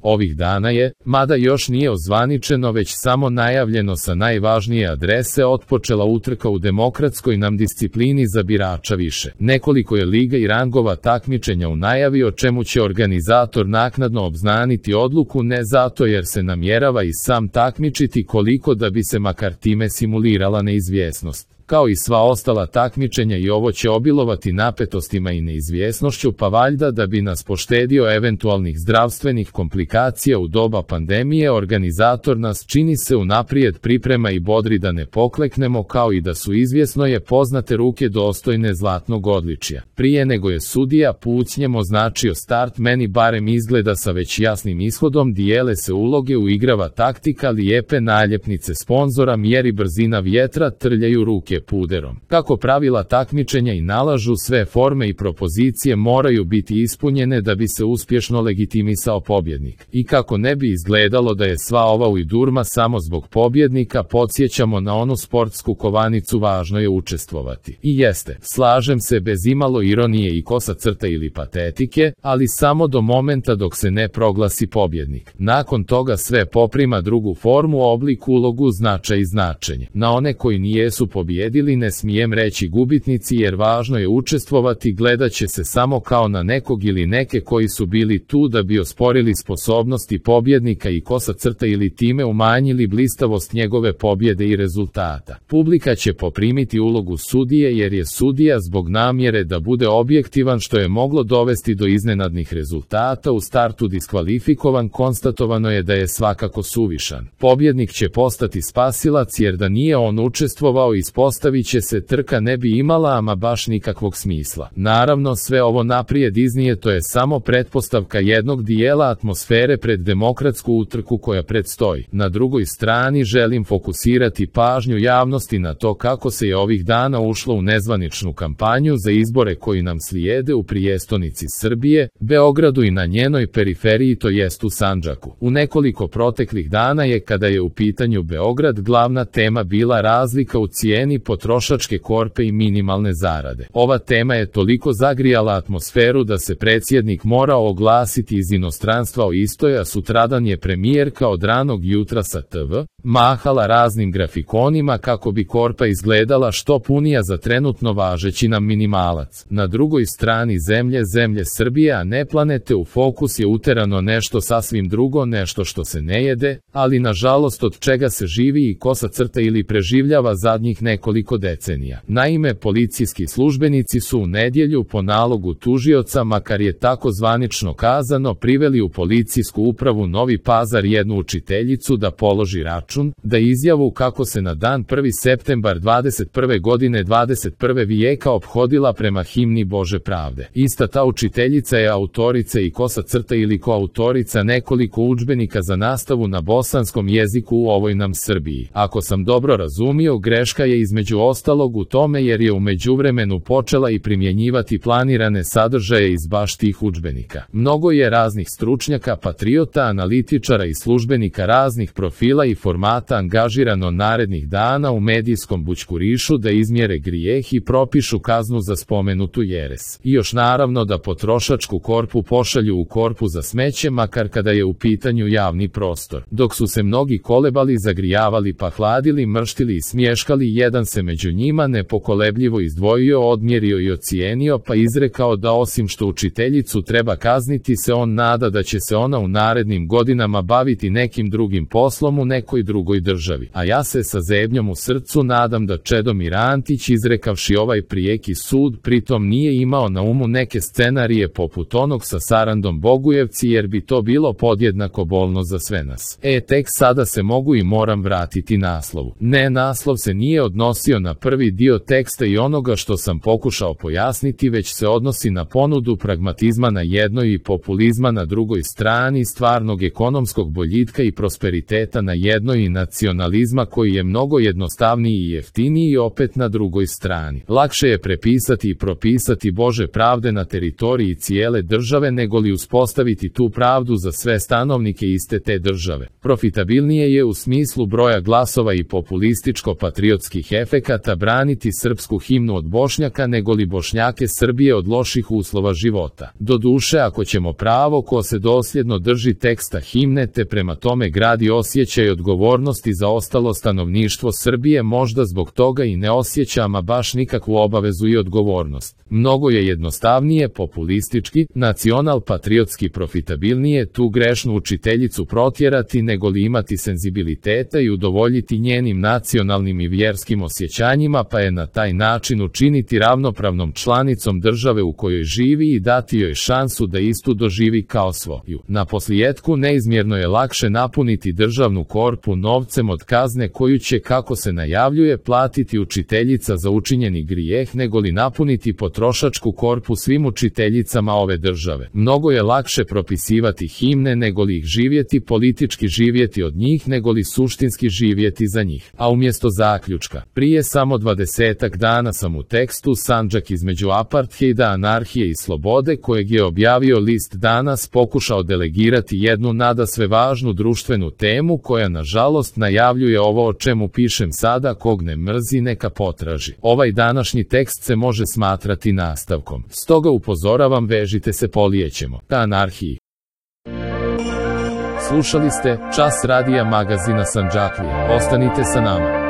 Ovih dana je, mada još nije ozvaničeno već samo najavljeno sa najvažnije adrese, otpočela utrka u demokratskoj nam disciplini za birača više. Nekoliko je liga i rangova takmičenja u najavi, o čemu će organizator naknadno obznaniti odluku, ne zato jer se namjerava i sam takmičiti koliko da bi se makar time simulirala neizvjesnost. Kao i sva ostala takmičenja i ovo će obilovati napetostima i neizvjesnošću, pa valjda da bi nas poštedio eventualnih zdravstvenih komplikacija u doba pandemije, organizator nas, čini se, unaprijed priprema i bodri da ne pokleknemo, kao i da su, izvjesno je, poznate ruke dostojne zlatnog odličja. Prije nego je sudija pucnjem označio start, meni barem izgleda sa već jasnim ishodom, dijele se uloge, uigrava taktika, lijepe naljepnice sponzora, mjeri brzina vjetra, trljaju ruke puderom. Kako pravila takmičenja i nalažu, sve forme i propozicije moraju biti ispunjene da bi se uspješno legitimisao pobjednik. I kako ne bi izgledalo da je sva ova ujdurma samo zbog pobjednika, podsjećamo na onu sportsku kovanicu važno je učestvovati. I jeste, slažem se, bez imalo ironije i kosa crta ili patetike, ali samo do momenta dok se ne proglasi pobjednik. Nakon toga sve poprima drugu formu, oblik, ulogu, značaj i značenje. Na one koji nijesu pobjedili ne smijem reći gubitnici, jer važno je učestvovati, gledat će se samo kao na nekog ili neke koji su bili tu da bi osporili sposobnosti pobjednika i kosa crta ili time umanjili blistavost njegove pobjede i rezultata. Publika će poprimiti ulogu sudije, jer je sudija zbog namjere da bude objektivan, što je moglo dovesti do iznenadnih rezultata, u startu diskvalifikovan. Konstatovano je da je svakako suvišan. Pobjednik će postati spasilac, jer da nije on učestvovao, ispostavit će se, trka ne bi imala ama baš nikakvog smisla. Naravno, sve ovo naprijed iznijeto je samo pretpostavka jednog dijela atmosfere pred demokratsku utrku koja predstoji. Na drugoj strani želim fokusirati pažnju javnosti na to kako se je ovih dana ušlo u nezvaničnu kampanju za izbore koji nam slijede u prijestonici Srbije, Beogradu i na njenoj periferiji, to jest u Sandžaku. U nekoliko proteklih dana je, kada je u pitanju Beograd, glavna tema bila razlika u cijeni potrošačke korpe i minimalne zarade. Ova tema je toliko zagrijala atmosferu da se predsjednik morao oglasiti iz inostranstva o istoj, a sutradan je premijerka od ranog jutra sa TV mahala raznim grafikonima kako bi korpa izgledala što punija za trenutno važeći nam minimalac. Na drugoj strani zemlje Srbije, a ne planete, u fokus je uterano nešto sasvim drugo, nešto što se ne jede, ali nažalost od čega se živi i kosa crta ili preživljava zadnjih nekoliko decenija. Naime, policijski službenici su u nedjelju po nalogu tužioca, makar je tako zvanično kazano, priveli u policijsku upravu Novi Pazar jednu učiteljicu da položi račun, da izjavu kako se na dan 1. septembar 21. godine 21. vijeka ophodila prema himni Bože pravde. Ista ta učiteljica je autorica i kosa crta ili koautorica nekoliko udžbenika za nastavu na bosanskom jeziku u ovoj nam Srbiji. Ako sam dobro razumio, greška je između ostalog u tome jer je u međuvremenu počela i primjenjivati planirane sadržaje iz baš tih udžbenika. Mnogo je raznih stručnjaka, patriota, analitičara i službenika raznih profila i formata angažirano narednih dana u medijskom bućkurišu da izmjere grijeh i propišu kaznu za spomenutu jeres. I još naravno da potrošačku korpu pošalju u korpu za smeće, makar kada je u pitanju javni prostor. Dok su se mnogi kolebali, zagrijavali pa hladili, mrštili i smješkali, jedan se među njima nepokolebljivo izdvojio, odmjerio i ocijenio, pa izrekao da osim što učiteljicu treba kazniti, se on nada da će se ona u narednim godinama baviti nekim drugim poslom u nekoj drugoj državi. A ja se sa zebnjom u srcu nadam da Čedomir Antić, izrekavši ovaj prijeki sud, pritom nije imao na umu neke scenarije poput onog sa Sarandom Bogujevci, jer bi to bilo podjednako bolno za sve nas. Tek sada se mogu i moram vratiti naslovu. Ne, naslov se nije odnosio na prvi dio teksta i onoga što sam pokušao pojasniti, već se odnosi na ponudu pragmatizma na jednoj i populizma na drugoj strani, stvarnog ekonomskog boljitka i prosperiteta na jednoj i nacionalizma koji je mnogo jednostavniji i jeftiniji opet na drugoj strani. Lakše je prepisati i propisati Bože pravde na teritoriji cijele države negoli uspostaviti tu pravdu za sve stanovnike iste te države. Profitabilnije je u smislu broja glasova i populističko-patriotskih efekata braniti srpsku himnu od Bošnjaka nego li Bošnjake Srbije od loših uslova života. Doduše, ako ćemo pravo ko se dosljedno drži teksta himne te prema tome gradi osjećaj odgovornosti za ostalo stanovništvo Srbije, možda zbog toga i ne osjeća ama baš nikakvu obavezu i odgovornost. Mnogo je jednostavnije, populistički, nacional-patriotski profitabilnije tu grešnu učiteljicu protjerati nego li imati senzibiliteta i udovoljiti njenim nacionalnim i vjerskim osjećanjima, pa je na taj način učiniti ravnopravnom članicom države u kojoj živi i dati joj šansu da istu doživi kao svoju. Na posljetku, neizmjerno je lakše napuniti državnu korpu novcem od kazne koju će, kako se najavljuje, platiti učiteljica za učinjeni grijeh nego li napuniti potrošačku korpu svim učiteljicama ove države. Mnogo je lakše propisivati himne nego li ih živjeti, politički živjeti od njih nego li suštinski živjeti za njih. A umjesto zaključka, prije samo 20-ak dana sam u tekstu Sandžak između apartheida, anarhije i slobode, kojeg je objavio list Danas, pokušao delegirati jednu nadasve važnu društvenu temu koja nažalost najavljuje ovo o čemu pišem sada. Kog ne mrzi neka potraži. Ovaj današnji tekst se može smatrati nastavkom. Stoga upozoravam, vežite se, polijećemo ka anarhiji. Slušali ste Čas radija magazina Sandžaklija. Ostanite sa nama.